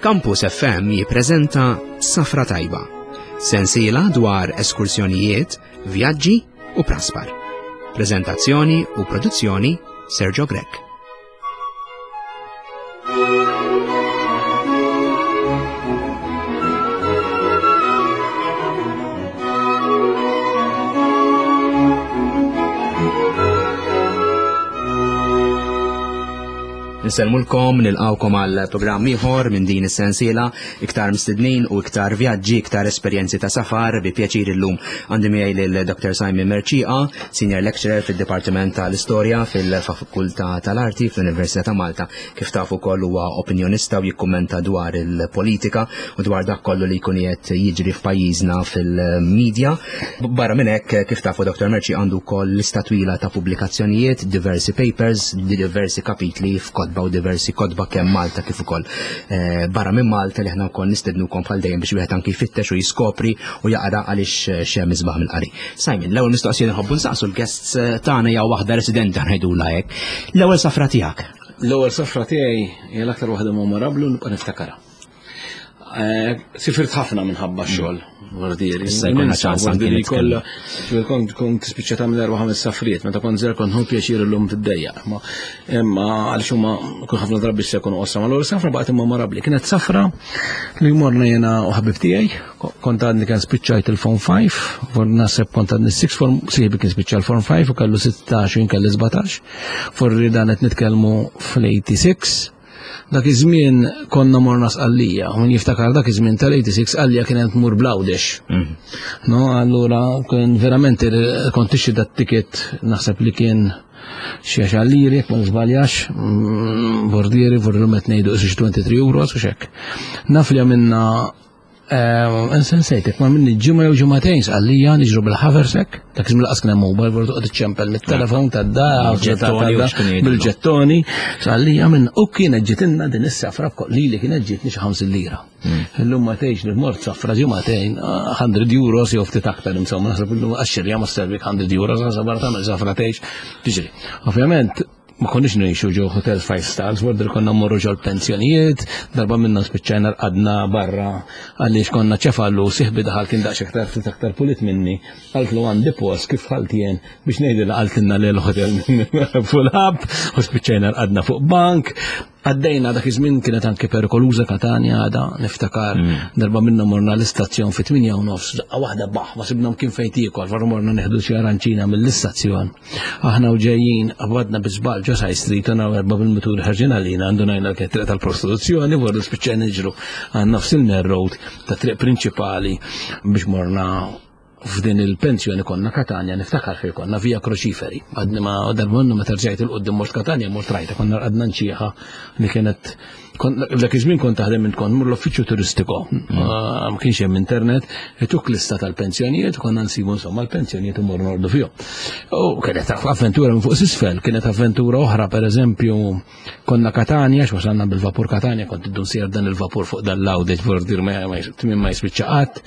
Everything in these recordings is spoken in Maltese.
Campus FM jippreżenta Safra Tajba, sensiela dwar eskursjonijiet, vjaġġi u praspar. Preżentazzjoni u produzzjoni Sergio Grech. Nsellmulkom, nilqawkom għal programm ieħor minn din is-sensiela, iktar mistednin u iktar vjaġġi, iktar esperjenzi ta' safar, bi pjaċir illum għandi miegħi lil Dr. Simon Mercieca, Senior Lecturer fid-Dipartiment tal-Istorja fil-Fakultà tal-Arti fl-Università ta' Malta. Kif tafu wkoll huwa opinjonista u jikkummenta dwar il-politika u dwar dak kollu li jkun qed jiġri f'pajjiżna fil-medja. Barra minn hekk, kif tafu Dr. Mercieca għandu wkoll lista twila ta' pubblikazzjonijiet, diversi papers, diversi kapitli f'kotba u diversi kotba kemm Malta kif ukoll eh, barra minn Malta li aħna wkoll nistednukom bħal dejjem biex wieħed anki jfittex u jiskopri u jaqra għaliex eh, xem isbaħ mill-qari. Simon, l-ewwel mistoqsija nħobbu nsaqsu l-guests eh, tagħna hija waħda residenti ngħidulha hekk. L-ewwel safra tiegħek. L-ewwel safra tiegħi hija l-aktar waħda memorabbli u nibqa' niftakarha. Eh, sifirt ħafna minħabba mm. xogħol, vordieri. Issa jkollna ċans anke kollha. Kont kont tispiċċa tagħmel erba' ħames safriet, meta kont żer kont hu pjaċir illum tiddejjaq. Imma għaliex huma kull ħafna drabi se jkunu qosra, ma l-ewwel safra baqgħet immemorabbli. Kienet safra li morna jiena u ħabib tiegħi, kont għadni kien spiċċajt il-Form 5, for naħseb kont għadni 6 form, sieħbi kien spiċċa l-Form 5 u kellu 16 u jien kelli 17. Forri dan qed nitkellmu fl-86 Dak iż-żmien konna morna Sqallija, u min jiftakar dak iż-żmien tal-86 Sqallija kienet tmur bl-Għawdex. Mhm. No, allura kien verament kont tixtri dat ticket naħseb li kien xi għaxar liri, jekk ma nżbaljax, mm, bordieri, vorri qed ngħidu xi 23 euros u xek. Naf li għamilna Nsejtek, ma minni ġimgħa jew ġimgħatejn sqallija niġru bil-ħaversek, dak iż-żmien laqas kien hemm mobile, vordu toqgħod iċċempel mit-telefon tad-dar, bil-ġettoni, sqallija minn u kienet ġitilna din is-safra lili kienet ġietni xi 50 lira. Hmm. Illum ma tgħix li mort safra ġimgħatejn 100 euros jew ftit aktar insomma, naħseb illum għax-xirja ma servik 100 euros, naħseb barra tagħmel safra tgħix tiġri. Ovvjament, ma konniex ngħixu ġo hotel five stars, vorder konna mmorru ġo l-pensjonijiet, darba minna spiċċajna rqadna barra għaliex konna ċefallu siħbi daħal kien daqs aktar ftit aktar pulit minni, qaltlu għandi post kif ħalt jien biex ngħidilha qaltilna li l-hotel full up u spiċċajna rqadna fuq bank. Għaddejna dak iż-żmien kienet anke perikoluża Katanja għada niftakar mm. darba minna morna l-istazzjon fi 8 u nofs daqqa waħda baħ ma sibna kien fejn tiekol, varu morna neħdu xi aranċina mill-istazzjon. Aħna u ġejjin qabadna bi żball ġo Side Street u naw erba' bil-mutur ħarġin għalina għandu ngħidna l triq tal-prostituzzjoni vordu spiċċajna niġru għan nofs il-main road ta' triq prinċipali biex morna f'din il-pensjoni konna Katanja niftakar fejn konna Via Crociferi. Għadni ma darba minnu meta rġajt il-qudiem mort Katanja mort rajta konna rqadna nċieħa li kienet Dak iż-żmien kont taħdem int kont mur l-uffiċċju turistiku. Mm. Ah, ma kienx hemm internet, ituk lista tal-pensjonijiet, konna nsibu insomma l-pensjonijiet u mor nordu fihom. U kienet avventura minn fuq s'isfel, kienet avventura oħra pereżempju konna Katanja, x'wasalna bil-vapur Katanja, kont iddu nsir dan il-vapur fuq dan l-awdet vordir ma tmiem ma jispiċċa qatt,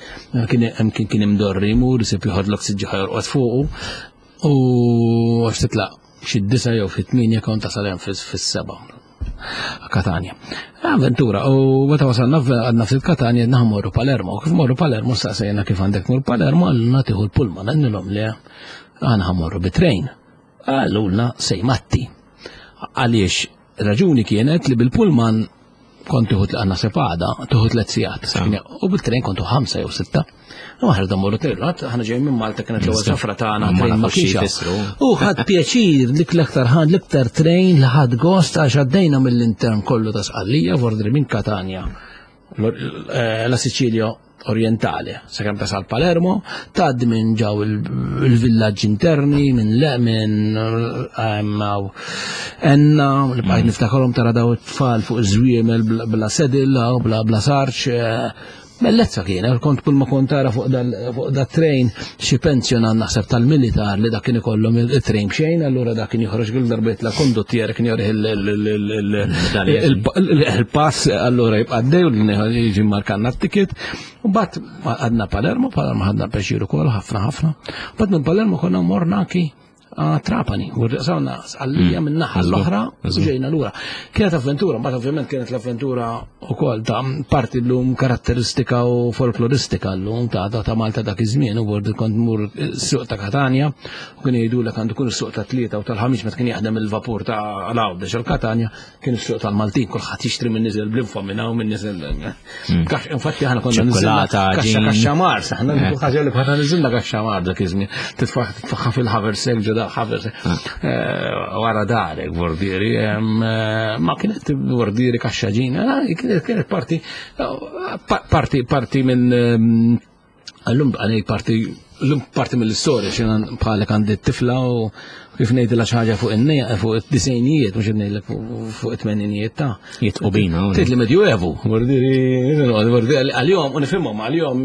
kien hemm kien kien imdorri jmur, isib joħodlok siġġi ħajorqod fuqu u għax titlaq xi disa jew fit-tmienja kont tasal hemm fis-seba'. Katania. Avventura, u meta wasalna għadna ftit Katania għedna morru Palermo. Kif morru Palermo staqsejna kif għandek mur Palermo għallna tieħu l-pullman għandilhom li għana ħamorru bit-trejn. Għallulna sej matti. Għaliex raġuni kienet li bil-pullman kont tieħu għandna sepada, tieħu tliet sigħat. U bil-trejn kontu ħamsa jew sitta. U aħna da morru trejn, aħna ġejjin minn Malta kienet l-ewwel safra tagħna trejn ma kienx. U ħadd pjaċir dik l-aktar ħadd l-iktar trejn li ħadd gost għax għaddejna mill-intern kollu ta' Sqallija, vordri minn Katanja eh, la Sicilia orientali, sakemm tasal Palermo, tgħaddi minn ġew il-villaġġi interni, minn le minn ehm, Enna, li bqajt niftakarhom tara daw it-tfal fuq iż-żwiemel bla sedil, bla bla sarċ, eh, Bellezza kien, kont kull ma kont tara fuq dal-trejn xi pensjonant naħseb tal-militar li dak kien ikollhom il-trejn b'xejn, allura dak kien joħroġ kull darba jitla' konduttier kien jorih il-pass, allura jibqa' għaddej u jiġi markanna t-ticket. U mbagħad għadna Palermo, Palermo ħadna pjaċir ukoll ħafna ħafna. Mbagħad minn Palermo konna morna anki. Trapani, u rriqsawna Sqallija minn naħa l-oħra u ġejna lura. Kienet avventura, mbagħad ovvjament kienet l-avventura wkoll ta' parti llum karatteristika u folkloristika llum ta' ta' Malta dak iż-żmien u bord kont mur suq ta' Katanja u kien jgħidulek għandu kun is-suq ta' tlieta u tal-ħamis meta kien jaħdem il-vapur ta' Għawdex għal Katanja kien is-suq tal-Maltin, kulħadd jixtri minn niżel bl-infa minn hawn minn niżel. Infatti aħna konna niżilna kaxxa kaxxa Mars, aħna eh. ħaġa li konna niżilna kaxxa Mars dak iż-żmien. Titfaħħa fil-ħaversek ġo dak ħaversek. Ah. Eh, wara darek vordieri, eh, ma kienet vordieri kaxxa ġina, kienet parti parti parti minn Għallum għanej parti, l-lum parti mill-istorja, xina bħalek għandi t-tifla u kif ngħidilha xi ħaġa fuq in-nejja fuq id-disejnijiet mhux ngħidlek fuq it-tmeninijiet ta' Jitqu bina. Tgħid li Medjuevu, għal-jom u nifhimhom għal-jom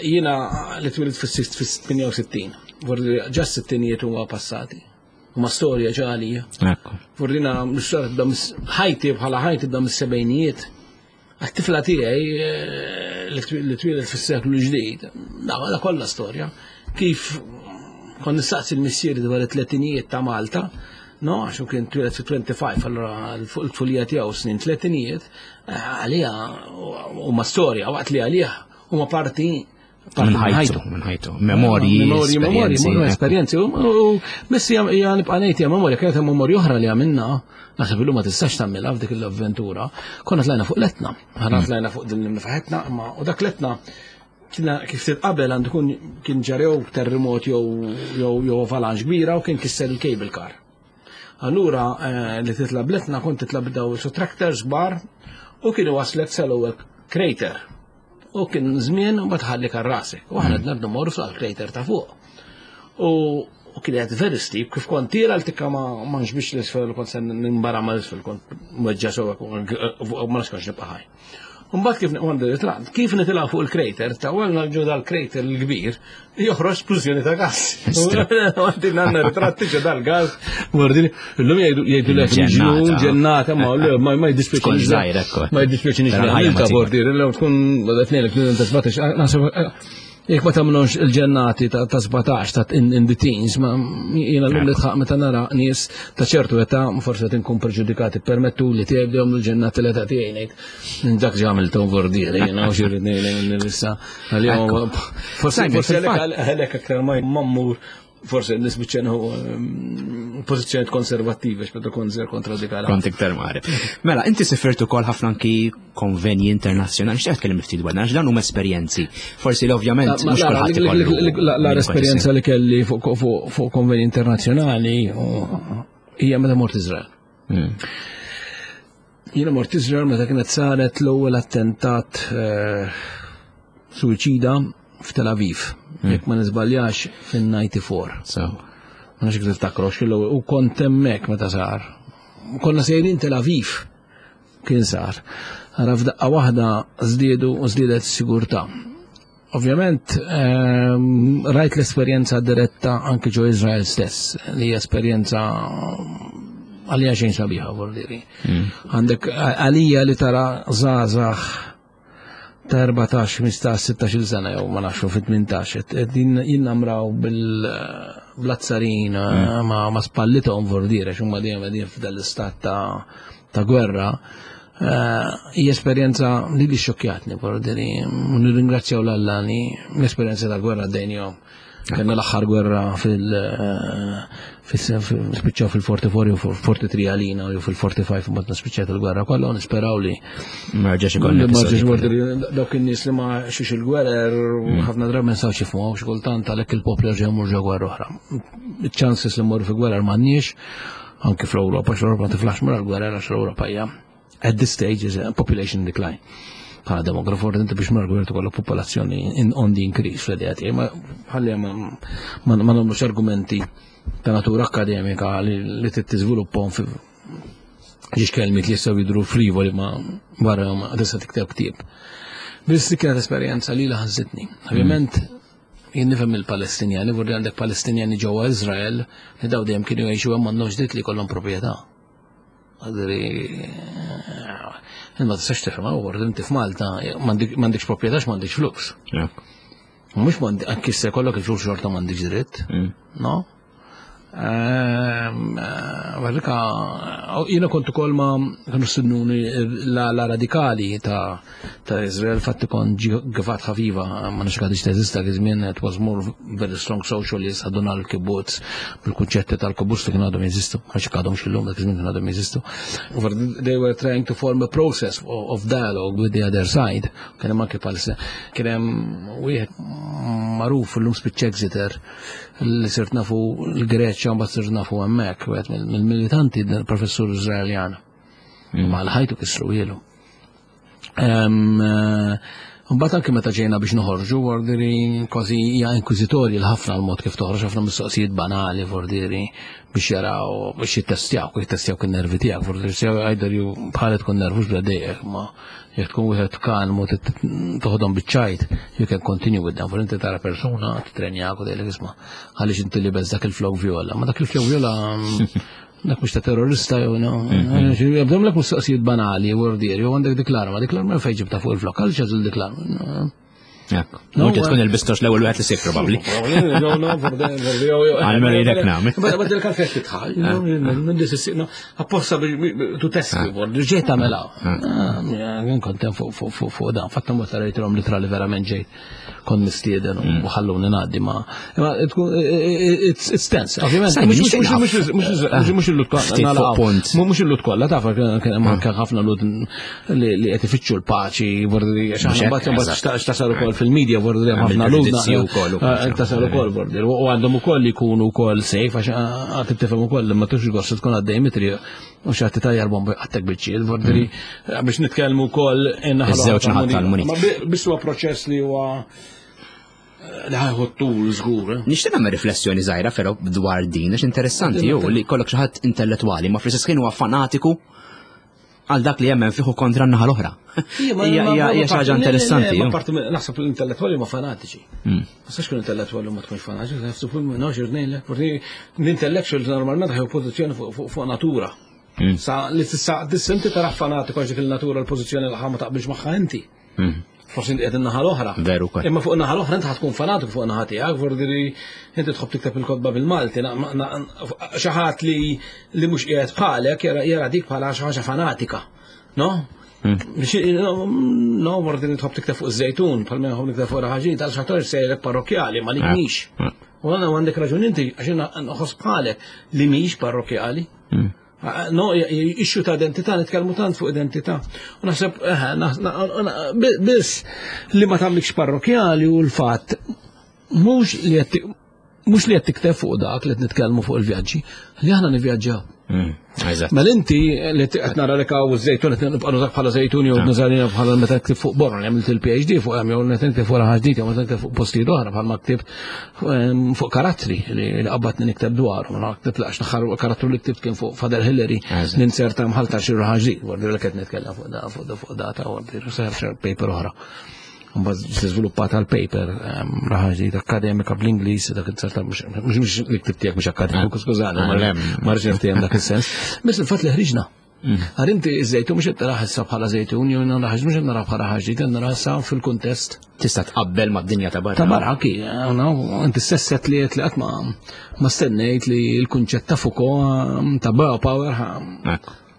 jiena li twilit fis-68, ġa s-sittinijiet huma passati. Huma storja ġa għalija. Fordina l-istorja tibda ħajti bħala ħajti tibda mis-sebgħinijiet. Għat-tifla tiegħi eh, li twieled fis-seklu l-ġdid, da kollha storja. Kif kon nistaqsi l-missieri dwar it-tletinijiet ta' Malta, no, għax kien twieled fi 25, allura l-tfulija tiegħu snin tletinijiet, eh, għalija huma storja, waqt li għalija huma parti Minn ħajtu, minn ħajtu. Memorji, memorji, memorji, esperjenzi. U missi hija nibqa' ngħid hija memorja, kienet hemm memorja oħra li għamilna, naħseb illum ma tistax tagħmilha f'dik l-avventura. Konna tlajna fuq letna, ħana mm. tlajna fuq din l-imnifaħetna, imma u dak letna kif titqabel għandu kun kien ġarew terremot jew jew avalanche kbira u kien kisser il-cable car. Allura eh, li titla bletna kont titla b'daw su tractors kbar u kienu waslek sal-ewwel crater. U kien żmien u ma tħalli karrasek. U aħna dnabdu morru fuq il-crater ta' fuq. U kienet very steep, kif kont tira l-tikka ma nxbix l-isfel, kont se nimbara ma l-isfel, kont mweġġa sewa, ma nafx nibqa' ħaj. Mbagħad kif għandu ritratt, kif nitilgħu fuq il-crater, ta' għalna ġo dal-crater l-kbir, joħroġ splużjoni ta' gas. Għandi għandna ritratti ġo dal-gas, mordini, illum jgħidu lek ġnun, ġennata, ma ma ma jiddispjaċini. Ma jiddispjaċini xejn ta' bordir, illum tkun qed ngħidlek ta' 17, naħseb Jekk ma tagħmlux il-ġennati ta' 17 ta' in the teens, ma jiena llum li tħaq meta nara nies ta' ċertu età forsi qed inkun preġudikati permettu li tiegħi bdejhom il-ġennati l-età tiegħi ngħid. Dak ġi għamiltu vordieri, jiena u xi rrid ngħid issa. Forsi forsi għalhekk aktar ma mmur forse nisbiċċa nieħu ehm, pożizzjoni konservattiva x'meta kont żer kont radikali. Kont iktar mari. Mela, inti sifirtu ukoll ħafna anki konvenji internazzjonali, x'qed tkellem ftit dwar dan, huma esperjenzi. Forsi li ovvjament mhux kulħadd ikollu. La esperjenza li kelli fuq konvenji internazzjonali hija meta mort Iżrael. Hmm. Jiena mort Izrael meta kienet saret l-ewwel attentat eh, suicida f'Tel Aviv, hmm. jekk ma niżbaljax fin-94. So. Ma nafx kif tiftakru u kont hemmhekk meta sar. Konna sejrin Tel Aviv kien sar. Ara f'daqqa waħda żdiedu u żdiedet s-sigurtà. Ovvjament, ehm, rajt l-esperjenza diretta anke ġo Izrael stess, li hija esperjenza għalija xejn sabiħa, vordiri. Mm. Għandek għalija li tara zazax ta' 14, 15, 16 sena jew ma nafx fit-18, din jinnamraw bil-blazzarin mm. ma spallithom vordiri, xumma dejjem qegħdin f'dal-istat ta' gwerra. Eh, hija esperjenza li li xokjatni, vordieri, nirringrazzjaw l-Alla li l-esperjenza ta' gwerra dejnjom. Kellna l-aħħar gwerra fil- eh, spiċċaw fil-44 u 43 għalina u fil-45 mbagħad nispiċċat il-gwerra kollha u nisperaw li Marġax ikollna. Marġax dawk in-nies li ma xiex il-gwerer mm. ħafna drabi ma nistgħux jifhmu xi kultant għalhekk il-poplu jerġa' jmur ġo gwerra oħra. Iċ-chances li mmorru fi gwerer m'għandniex anki fl-Ewropa, x'l-Ewropa ma tiflax mura l-gwerra għax l-Ewropa hija at this stage is a population decline. Bħala demografu inti biex mara gwerra tkollok popolazzjoni on the increase fl-idea tiegħi, ma ħalli ma nagħmlux argumenti ta' natura akademika li tiżviluppahom fi ġiex kelmiet li jistgħu jidhru frivoli ma barra ma tista' tikteb ktieb. Biss kienet esperjenza li ħażitni. Ovvjament Jien nifhem il-Palestinjani, vorri għandek Palestinjani ġewwa Iżrael li daw dejjem kienu jgħixu hemm m'għandhomx dritt li jkollhom proprjetà. Għadri, eh, ma tistax tifhem, vorri inti f'Malta m'għandekx proprjetà m'għandekx flus. Mhux m'għandek anki se jkollok il-flus xorta m'għandekx dritt, mm. no? Għarrika, jiena kont ukoll ma kienu stidnuni la radikali ta' ta' Izrael, fatti kont Givat Haviva, ma nafx għadix teżista dak iż-żmien, it was more very strong socialist, ħaduna l-kibbutz bil-kunċetti tal-kibbutz li kienu għadhom jeżistu, ma nafx għadhom xillum dak iż-żmien kienu għadhom jeżistu. They were trying to form a process of dialogue with the other side. Kien hemm anke Palestina. Kien hemm wieħed magħruf illum spiċċa Exeter li sirt nafu l-Greċja mbagħad sirt nafu hemmhekk wieħed mill-militanti professur Iżraeljan. Ma l-ħajtu kisru ilu. Eh, mbagħad anke meta ġejna biex noħorġu vordiri kważi hija inkwiżitorji l-ħafna l-mod kif toħroġ ħafna mistoqsijiet banali vordiri biex jaraw biex jittestjaw, jittestjaw kien nervi tiegħek, vordiri either ju bħal tkun nervus bla dejjek ma Jekk tkun wieħed kalm u toħodhom biċ-ċajt, you can continue with them. For inti tara persuna titrenjak u tgħidlek isma' għaliex inti libes dak il-flok viola. Ma dak il-flok viola dak mhux ta' terrorista jew no. Jabdhom lek mistoqsijiet banali u ordieri jew għandek dik l-arma, dik l-arma fejn ġibta fuq il-flok, għaliex għażil dik l-arma. Mhux tkun il-bistox l-ewwel wieħed li sib probabbli. Għalmenu jidek nagħmel. Ma dik għalfejn titħal, apposta tu testi, ġejt tagħmel Jien kont hemm fuq dan, fatta mod rajtilhom litra li verament ġejt kont mistieden u mm. ħalluni ngħaddi ma it's tense, ovvjament. Mhux il-lut kollha. Mhux il-lut kollha, taf kien ħafna lut li qed ifittxu l-paċi, vordi għax aħna mbagħad imbagħad x'tasal ukoll fil-media vordi hemm ħafna ludna. Eh, tasal ukoll vordi. U għandhom ukoll jkunu wkoll safe għax għad tifhem ukoll li ma tux gost tkun għaddej mitri u xi ħadd tajjar bomba għattek biċċiet, vordi mm. biex nitkellmu wkoll in-naħa naħa tal-munit. Ma biss huwa proċess li huwa li ħajħu tul żgur. Eh? Nixtieq nagħmel riflessjoni żgħira però dwar din għax interessanti jew li kollok xi ħadd intellettwali ma fl-istess ħin huwa fanatiku għal dak li jemmen fiħu kontra n-naħa l-oħra. Hija xi ħaġa interessanti. Parti naħseb l-intellettwali ma fanatiċi. Hmm. Ma sax kun intellettwali ma tkunx fanatiċi, naħseb nafx irnejlek, l-intellectual normalment ħew pożizzjoni fuq natura. Hmm. Sa li tista' dissinti tara fanatiku għax dik il-natura l-pożizzjoni l ma taqbilx magħha inti. Hmm. Forsi inti qed in-naħa l-oħra. Veru kol. Imma fuq in-naħa l-oħra inti tkun fanatiku fuq in-naħa tiegħek, vordi li inti tħobb tikteb il-kotba bil-Malti, xi ħadd li li mhux qiegħed bħalek jara dik bħala xi ħaġa fanatika. No? Hmm. No, vordi li tħobb tikteb fuq iż-żejtun, bħal minn nħobb nikteb fuq raħaġin, tal xator sejrek parrokjali, ma li ah. mhix. Ah. U għandna għandek raġun inti, għax nħoss bħalek li mhix parrokjali. Hmm. No, issue ta' identità, nitkellmu tant fuq identità. U naħseb, eh, biss li ma tagħmlikx parrokjali u l-fatt mhux li qed mhux li qed tikteb fuq dak li qed nitkellmu fuq il-vjaġġi, li aħna nivvjaġġaw. Mm, mela inti li qed nara lek hawn żejtun qed nibqa' nużak bħala żejtun jew ah. nużalina bħala meta ktib fuq borra li għamilt il-PhD fuq hemm jew meta nikteb fuq ħaġa jew meta nikteb fuq postijiet oħra bħalma ktibt fuq karattri li qabadni nikteb dwarhom, ma ktibt laqx l karattru li ktibt kien fuq Father Hillary ninserta mħalta xi ħaġa ġdid, li qed nitkellem fuq da fuq da fuq da ta' għordi, paper oħra. Mbagħad żviluppata l-paper raħa ġdid akademika bl-Ingliż dak inserta mhux li ktibt tiegħek mhux akademiku, skużani, ma rridx niftiehem dak is-sens. Biss il-fatt li ħriġna. Mm. Għar inti iż-żejtun mhux qed taraħ issa bħala żejtun, jew naraħ mhux qed naraħ bħala ħaġa, qed naraħ issa fil-kuntest. Tista' tqabbel mad-dinja ta' barra. Ta' barra ki, inti stess li qed li qatt ma stennejt li l-kunċett ta' Foucault ta' biopower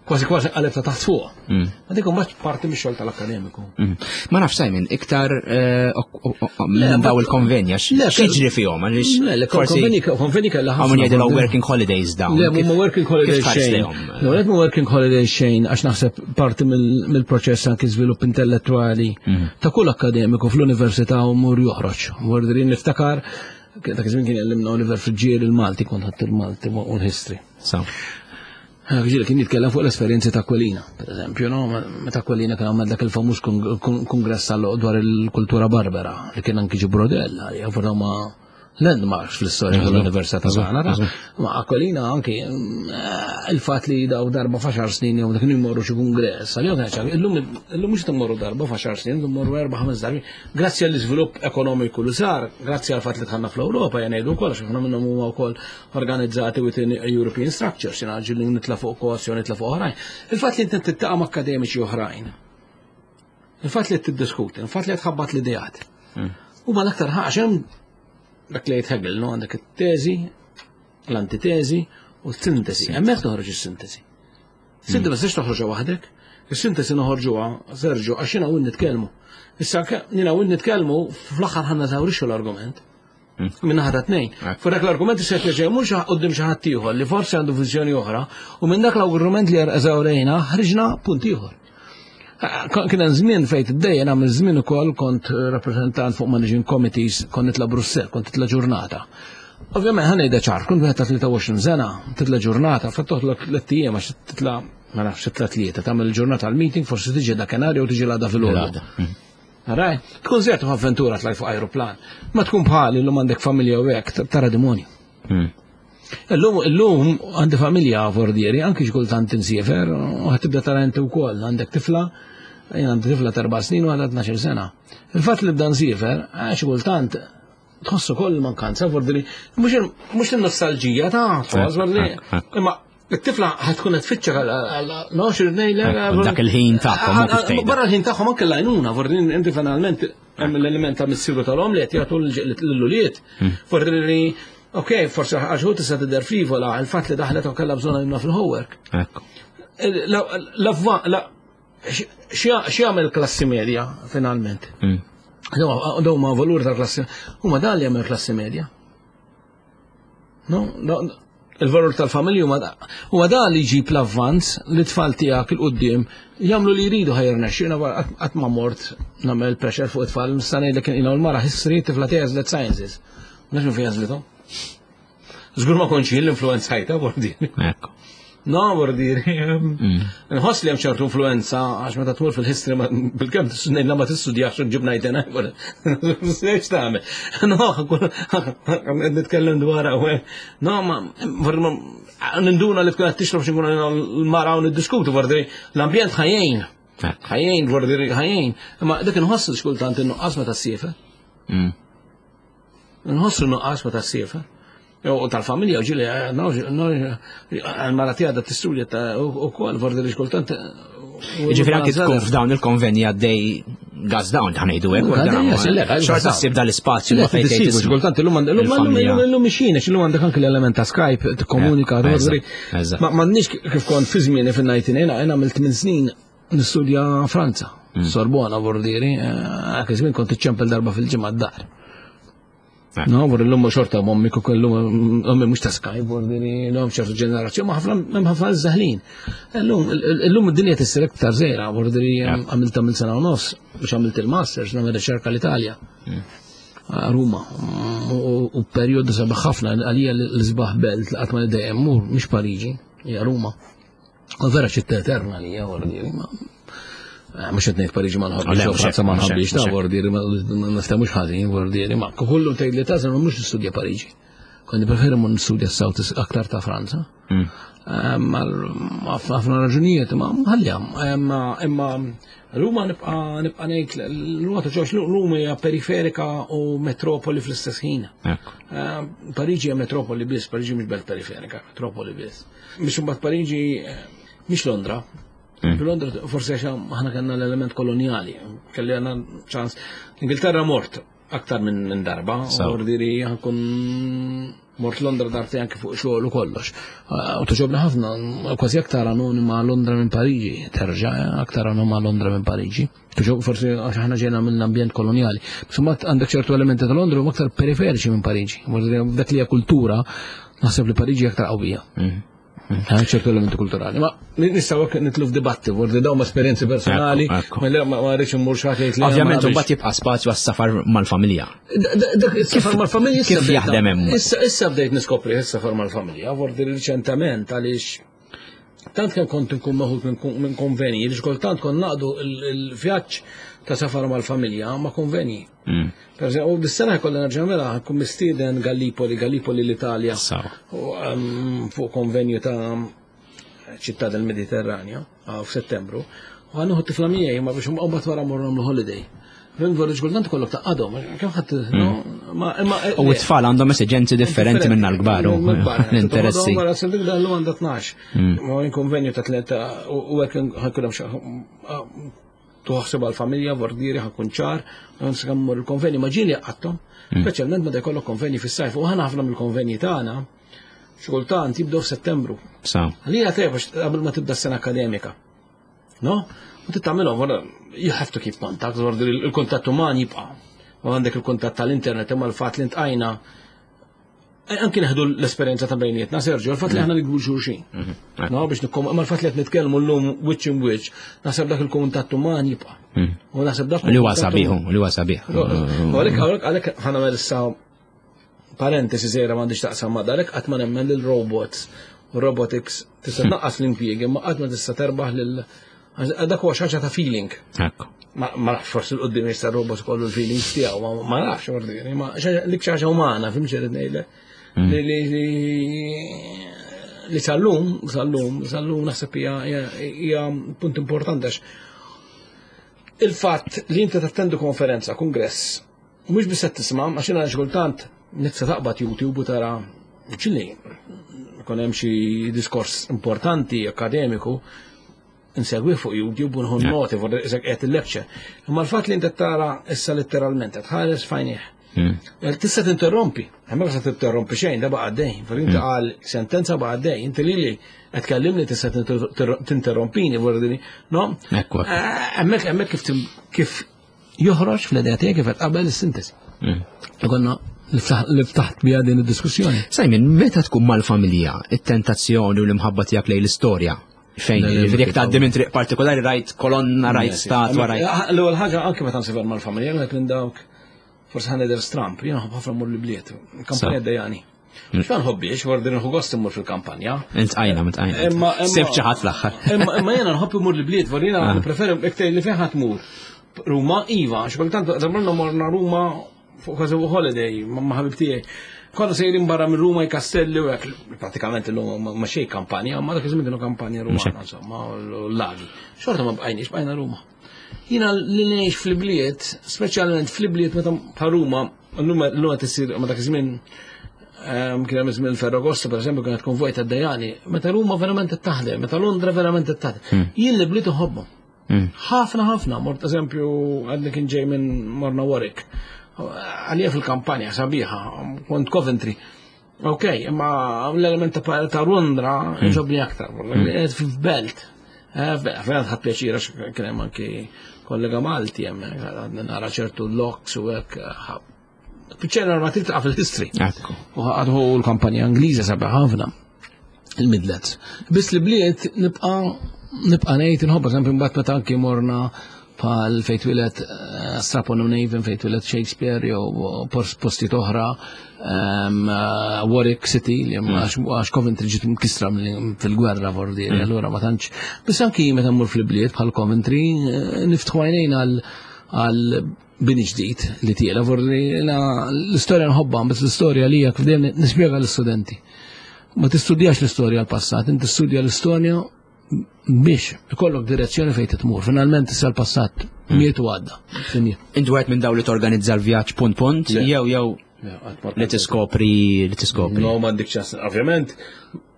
kważi kważi qaleb ta' taħt fuq. Mm. Ma dik mbagħad parti mix-xogħol tal-akademiku. Mm. Ma nafx Simon, iktar eh, minn daw il-konvenja, x'jiġri fihom għaliex. Le, konveni konveni kellha ħafna. Hawn jgħidilhom working holidays dawn. Le, mhuma working holidays xejn. Le, mhuma working holidays xejn għax naħseb parti mill-proċess anki żvilupp intellettwali mm. ta' kull akademiku fl-università u mur joħroġ. Mur niftakar dak iż-żmien kien jgħallimna Oliver Friġġieri il-Malti kont ħadd il-Malti u l-history. Ġieli kien jitkellem fuq l-esperjenzi ta' Aquilina, per eżempju, no? Meta Aquilina kien għamel dak il-famuż kongress dwar il-kultura barbara, li kien anki ġi Brodella, li għafu ma landmarks fl-istorja tal-Università ta' Zahara. Ma Aquilina anki eh, il-fat li daw darba faxar snin jew dak jmorru xi kongress, għalihom kien illum illum mhux immorru darba faxar snin, illum morru erba' ħames darbi. Grazzi għall-iżvilupp ekonomiku li sar, grazzi għal fatt li dħalna fl-Ewropa, jgħidu wkoll għax ħafna minnhom huma wkoll organizzati within European structures, jina ġilli nitla fuq kos jew nitla fuq oħrajn. Il-fatt li inti tiltaqa' ma' akademiċi oħrajn, il-fatt li tiddiskuti, il-fatt li tħabbat l-ideat. Hmm. Huma l-aktar ħaġa dak li jgħid Hegel, no għandek it-teżi, L-antitesi u s-sintesi. Hemmhekk toħroġ is-sintesi. Sintesi ma tistax toħroġha waħdek. Is-sintesi noħorġuha, Sergio, għax jiena u nitkellmu. Issa jiena u nitkellmu fl-aħħar ħanna żawrixxu l-argument. Minn ħata tnejn. Fuq dak l-argument se terġa' mhux qudiem xi ħadd ieħor li forsi għandu viżjoni oħra u minn dak l-argument li eżawrejna ħriġna punt ieħor. Kien hemm żmien fejn tiddejjen għamil żmien ukoll kont rappreżentant fuq managing committees, kont nitla' Brussell, kont titla' ġurnata. Ovvjament ħa ngħidha ċar, kont wieħed ta' 23 sena, titla' ġurnata, fa' toħlok tliet ijiem għax titla' ma nafx titla' tlieta, tagħmel il-ġurnata għall-meeting, forsi tiġi dakinhar jew tiġi l-għada filgħodu. Raj, tkun żejt avventura tlajt fuq ajruplan. Ma tkun bħali llum għandek familja u hekk tara demonju. Illum, illum għandi familja fordieri, anki xkultant insiefer, u ħatibda tara inti wkoll, għandek tifla, jien għandi tifla ta' erba' snin u għandha 12 sena. Il-fatt li bda nsiefer, xi kultant tħossu koll mankanza, fordieri, mhux il-nostalġija ta' tħoss, fordieri, imma it-tifla ħatkun qed tfittxek għal nox ngħidlek. Dak il-ħin tagħhom. Barra l-ħin tagħhom anke l-għajnuna, fordieri inti finalment hemm l-element ta' missieru tal-om li qed jagħtu l-ulied. Fordieri Ok, forsi għax hu tista' tidher frivola, il-fatt li daħlet u kellha bżonn għajnuna fil-homework. Ekku. X'jagħmel klassi medja finalment? Daw ma valur ta' klassi, huma dan li jagħmel klassi medja. No, il-valur tal-familja huma huwa dan li jġib l-avvanz li tfal tiegħek il-qudiem jagħmlu li jridu ħajr nexxina qatt ma mort nagħmel pressure fuq it-tfal, nista' ngħidlek l-mara history tifla tiegħi sciences. Naf minn fejn għażlithom. Żgur ma kontx jien l-influenzajta bordiri. Ekku. No, bordiri. Nħoss li hemm ċertu influenza għax meta tmur fil-history bil-kemm ngħidla ma tistudjax u ġib ngħidena. X'tagħmel? No, nitkellem dwar No, ma ninduna li tkun qed tixrob xi nkunu l-mara u niddiskutu bordiri. L-ambjent ħajjin. Ħajjin, bordiri ħajjin. Imma dik inħoss xkultant innuqqas meta ssiefer. Nħossu nuqqas meta ssiefer. U tal-familja u ġili, għal-mara tiegħek da tistudja ta' u kol, vordi li xkultant. Ġifieri anki tkun f'dawn il-konvenji għaddej gas down ta' ngħidu hekk. Xorta ssib dal-ispazju li fejn tgħid. Xkultant illum illum mixin, għax illum għandek anki l-element ta' Skype tikkomunika. Ma m'għandniex kif kont fi żmieni fin-19 jiena għamilt minn snin nistudja Franza, Sorbona vordieri, dak iż-żmien kont iċċempel darba fil-ġimgħa d-dar. No, vor l-lum xorta mommi kuku l-lum, ommi mux ta' Skype, vordieri, l-lum ċertu ġenerazzjoni, ma ħafna, hemm ħafna żaħlin. Illum id-dinja tissir iktar żgħira, vordieri għamilta minn sena u nofs biex għamilt il-masters, nagħmel riċerka l-Italja. Ruma, u perjodu sabiħ ħafna għalija l-isbaħ belt li qatt ma dejjem mur, mhix Pariġi, hija Ruma. U vera ċitta eterna li hija vordieri, ma mhux qed ngħid Pariġi ma nħobbix, jew Franza ma nħobbix, ta' vordieri ma niftehmux ħażin vordieri, ma kullu tgħid li tażel ma mhux nistudja Pariġi. Kont preferi mur nistudja s-South aktar ta' Franza. Ħafna raġunijiet, ma ħallija, imma Ruma nibqa' nibqa' ngħid l-Ruma ta' ġewx Ruma hija periferika u metropoli fl-istess ħin. Pariġi hija metropoli biss, Pariġi mhix belt periferika, metropoli biss. Biex imbagħad Pariġi mhix Londra. Londra forsi għax aħna kellna l-element kolonjali, kelli għandna ċans. Ingilterra mort aktar minn darba, ordiri ħankun mort Londra darti anke fuq xogħol u kollox. U toġobna ħafna, kważi aktar anonima Londra minn Pariġi, terġa' aktar anonima Londra minn Pariġi. Toġob forsi għax aħna ġejna mill-ambjent kolonjali. Insomma għandek ċertu elementi ta' Londra huma aktar periferiċi minn Pariġi. Dak li hija kultura, naħseb li Pariġi aktar qawwija. Ċertu elementi kulturali. Ma nistgħu hekk nitlu f'dibatti, vordi dawn ma' esperjenzi personali, ma rridx immur xi ħadd jgħid li. Ovvjament imbagħad jibqa' spazju għas-safar mal-familja. Dak is-safar mal-familja kif jaħdem hemm? Issa bdejt niskopri is-safar mal-familja, vordi riċentament għaliex tant kemm kont nkun meħud minn konvenji, li xkultant kont naqdu il-vjaġġ ta' safar mal-familja ma' konvenji. Per eżempju, u dis-sena jkollna nerġa' nagħmilha, nkun mistieden Gallipoli, Gallipoli l-Italja. Fuq konvenju ta' ċittà del Mediterraneo f'Settembru. U ħa nieħu t-tifla miegħi ma biex mbagħad wara mmorru nagħmlu holiday. Rinvor ġkultant kollok ta' għadhom, kemm ħadd U t-tfal għandhom esiġenzi differenti minna l-kbar u l-interessi. Wara se dik dallu għandha 12. Ma konvenju ta' tleta u hekk ħankun hemm tuħseb għal-familja, vordieri ħankun ċar, nsammur il-konvenju ma ġieli għattom, speċjalment meta jkollok konvenji fis-sajf u ħana ħafna mill-konvenji tagħna. Xi kultant jibdew f'Settembru. Sa. Għalija tajjeb għax qabel ma tibda s-sena akademika. No? U titgħamilhom, you have to keep contact, il-kuntatt uman jibqa'. U għandek il-kuntatt tal-internet imma l-fatt li ntqajna eh, anki neħdu l-esperjenza ta' bejnietna, Sergio, l-fatt li aħna nikbu xulxin. Mhm. No, biex nikkom, imma l-fatt li qed nitkellmu llum wiċċ in wiċċ, naħseb dak il-kuntatt uman jibqa'. Mhm. U naħseb dak. Li huwa sabiħ, li huwa sabiħ. Għalhekk għalhekk ħana issa parentesi żgħira m'għandix taqsam ma' dalek qatt ma nemmen lil robots u robotics tista' tnaqqas l-impjiegi ma qatt ma tista' terbaħ lil dak huwa xi ħaġa ta' feeling. Ma nafx forsi l-qudiem jista' robot kollu l-feelings tiegħu, ma nafx ordini, ma dik xi ħaġa umana, fim xi ngħidlek. Mm. Li sal-lum, sal-lum, sal-lum naħseb hija punt importanti għax il-fatt li inti tattendu konferenza, kongress, Mhux biss qed tisma' għax jiena xi kultant nitsa taqbad YouTube u tara ċilli ikun hemm xi diskors importanti akademiku insegwi fuq YouTube u nħu noti fuq qed il-lecture. Imma l-fatt li inti tara issa letteralment qed ħares fajnieh. Hmm. Eh, tista' tinterrompi, hemmhekk se tinterrompi xejn, da baqa' dej. Inti hmm. qal sentenza baqa' dej, inti lili qed tkellimni tista' tinterrompini vordini. No? Ekku. Eh, hemmhekk hemmhekk kif kif joħroġ fl-idea tiegħi kif qed qabel is-sintesi. Mm. Konna li ftaħt biha din id-diskussjoni. Simon, meta tkun mal-familja, it-tentazzjoni u l-imħabba tiegħek lejn l-istorja, fejn jiġifieri jekk tgħaddi minn triq partikolari rajt kolonna, rajt statwa, rajt. Ah, l-ewwel ħaġa anke meta nsifher mal-familja, qed minn dawk forsi ħa nidher stramp, jiena ħafna mmur l-bliet, kampanja dejani. Mhux ma nħobbiex, wardi nħu gost immur fil-kampanja. Intqajna, intqajna. Imma Sib xi ħadd fl-aħħar. Imma jiena nħobb immur l-bliet, vordi jiena ah. npreferi iktar li fejn ħadd mur. Ruma iva, xi kultant żamrna morna Ruma fuq kważi holiday ma' ħabib tiegħi. Konna sejrin barra minn Ruma jkastelli u hekk, pratikament illum ma xejn kampanja, ma dak iż-żmien kienu kampanja Rumana, insomma, l-lagi. Xorta ma bqajniex, bqajna Ruma. Jiena li ngħix fl-bliet, speċjalment fl-bliet meta bħal Ruma, Illum qed issir ma dak iż-żmien ehm, kien hemm żmien Ferragosto pereżempju kienet konvoj ta' dejani, meta Ruma verament qed taħdem, meta Londra verament qed taħdem. Hmm. Jien li bliet iħobbhom. Hmm. Ħafna ħafna, mort eżempju għadni kien ġej minn Morna Warwick. Għalija fil-kampanja sabiħa, kont Coventry. Ok, imma l-element ta' Londra hmm. ġobni aktar, f'belt. Eh, verament ħadd pjaċir għax kien hemm anki kollega Malti hemm għadna nara ċertu locks u hekk eh, Piċċena ma tiltaqa' fil-history. U għadħu l-kampanja Ingliża sabiħ ħafna il-Midlands. Biss li bliet nibqa' nibqa' ngħid inħobb eżempju mbagħad meta anki morna bħal fejn twieled eh, Stratford on Avon fejn twieled Shakespeare jew postijiet oħra eh, Warwick City li mm. għax Coventry ġiet mkisra fil-gwerra vordi, mm. allura ma tantx. Biss anki meta mmur fil-bliet bħal Coventry eh, niftħu għajnejn għal bini ġdid li tiela vordi l-istorja nħobbha, biss l-istorja li hija kif dejjem nispjega l-istudenti. Ma tistudjax l-istorja l-passat, inti tistudja l-istorja biex ikollok direzzjoni fejn titmur. Finalment issa l-passat hmm. miet u għadda. Inti wieħed minn daw li torganizza l-vjaġġ punt punt, jew jew li tiskopri li tiskopri. No, m'għandek ċans. Ovvjament,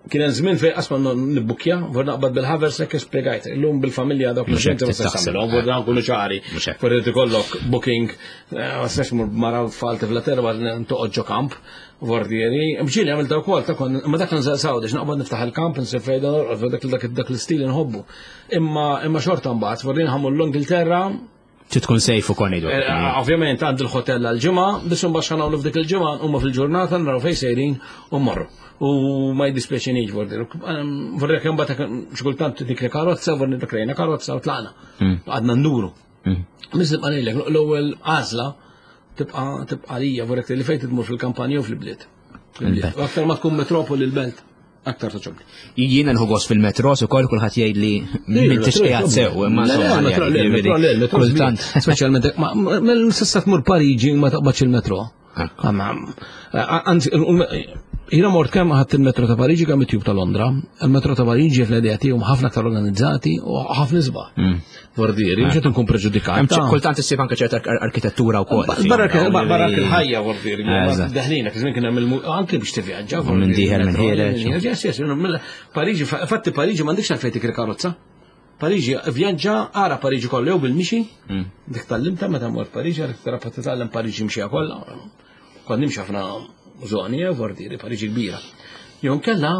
kien hemm żmien fejn qasma nibbukkja, vor naqbad bil-haversack spjegajt. Illum bil-familja dawk li xejn ma tagħmilhom, vor dan kullu ċari. Vor irid ikollok booking, eh, ma tistax mur mara tfal tifla terba toqgħod ġo kamp. Vordieri, mġili għamil wkoll ta' kon, ma dak nżel sawdex, naqbad niftaħ il-kamp, nsir fejda norqod, dak dak dak l-istil nħobbu. Imma imma xorta mbagħad, vordieri ħamur l-Ingilterra. Trid tkun safe ukoll ngħidu. Eh, ovvjament għand il-hotel għal-ġimgħa, biss imbagħad x'għamlu f'dik il-ġimgħa huma fil-ġurnata naraw fejn sejrin u mmorru. U ma jdispjaċinix vordieri. Vordieri kemm bagħad xi kultant dik li karozza, vordieri dik karozza u tlaqna. Hmm. Għadna nduru. Hmm. Miss nibqa' ngħidlek, l-ewwel għażla tibqa' tibqa' lija vorek li fejn tmur fil-kampanja u fil-bliet. Aktar ma tkun metropoli l-belt, aktar toġobni. Jiena nħu gost fil-metro, ukoll kulħadd jgħid li m'intix qiegħed sew, imma insomma. Kultant. Speċjalment, ma s'issa tmur Pariġi ma taqbadx il-metro. Anzi, jiena mort kemm ħadd il-metro ta' Pariġi kemm it-tube ta' Londra. Il-metro ta' Pariġi fl-idea tiegħu ħafna aktar organizzati u ħafna isbaħ. Mm. Vordieri, mhux qed nkun preġudikat. Kultant issib anke ċerta arkitettura wkoll. Barra il-ħajja vordieri, deħlina, kif kien hemm anke biex tivvjaġġa. Minn dieħel minn ħiereġ. Pariġi, fatti Pariġi m'għandekx għalfejn tikri karozza. Pariġi, vjaġġa, ara Pariġi kollha jew bil-mixi, mm. dik tallimta meta mort Pariġi, għalek tara titgħallem Pariġi mxija kollha. Kont nimxi ħafna żoni, eh, vordiri, Pariġi kbira. Jew kella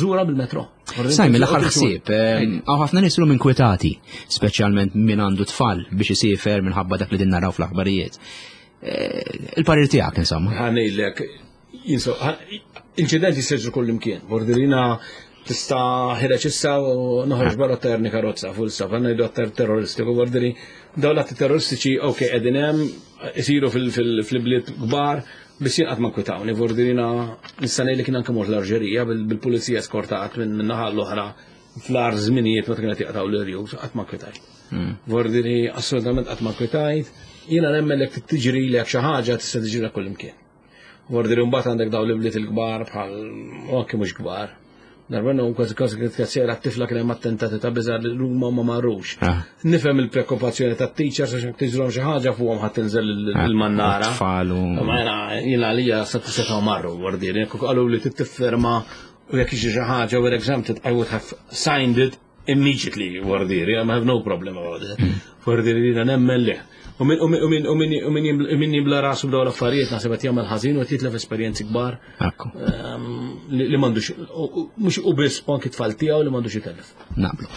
żura bil-metro. Sajmi l-aħħar ħsieb, hawn ħafna nies illum inkwetati, speċjalment min għandu tfal biex isiefer minħabba dak li din naraw fl-aħbarijiet. Eh, il-parir tiegħek insomma. Ħanejlek, inċidenti jsiru kull imkien. Bordirina tista' ħireġ issa u noħroġ barra terni karozza full stop, għandna jgħidu attar terroristiku, bordiri dawn l-atti terroristiċi ok qegħdin hemm isiru fil-bliet kbar, biss jien qatt ma nkwitawni, bordirina nista' ngħid li kien anke mort l-Arġerija bil-pulizija skortat minn naħa l-oħra fl-ar żminijiet meta kienet jaqtaw l-irjus, qatt ma nkwitajt. Hmm. Vordiri assolutament qatt ma nkwitajt, jiena nemmen li tiġri lek xi ħaġa tista' tiġri kull imkien. Vordiri mbagħad għandek dawn l-ibliet il-kbar bħal u anke mhux kbar. Darba nhom kważi kważi kienet kazzjera t-tifla kien hemm attentati ta' biża' li huma ma marrux. Ah. Nifhem il-preokkupazzjoni tat-teachers għax jekk tiġrilhom xi ħaġa fuqhom ħadd tinżel ah, il-mannara. Tfalu. Ma jiena jiena għalija sa setgħu marru vordiri, jekk qalu li tittiffirma u jekk jiġi xi ħaġa we're exempted, I would have signed it immediately wardiri, I have no problem about it. Hmm. Wardiri li nemmen li. U min jimla rasu b'daw l-affarijiet naħseb qed jagħmel ħażin u qed jitlef esperjenzi kbar. Ehm, li m'għandux mhux u biss u anki tfal tiegħu li m'għandux itellef. Naqblu.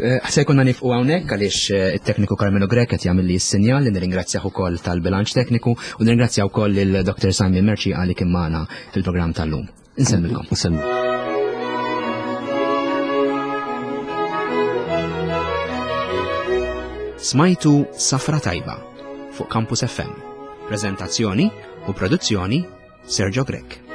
Eh, se jkollna nifqu hawnhekk għaliex eh, it-tekniku Carmelo Grek qed jagħmel li s-sinjal li nirringrazzjah ukoll tal-bilanċ tekniku u nirringrazzja wkoll lil Dr. Simon Merci għalik kien magħna fil-programm tal-lum. Insemmilkom. Insemmil. Smajtu Safra Tajba fuq Campus FM. Prezentazzjoni u produzzjoni Sergio Grech.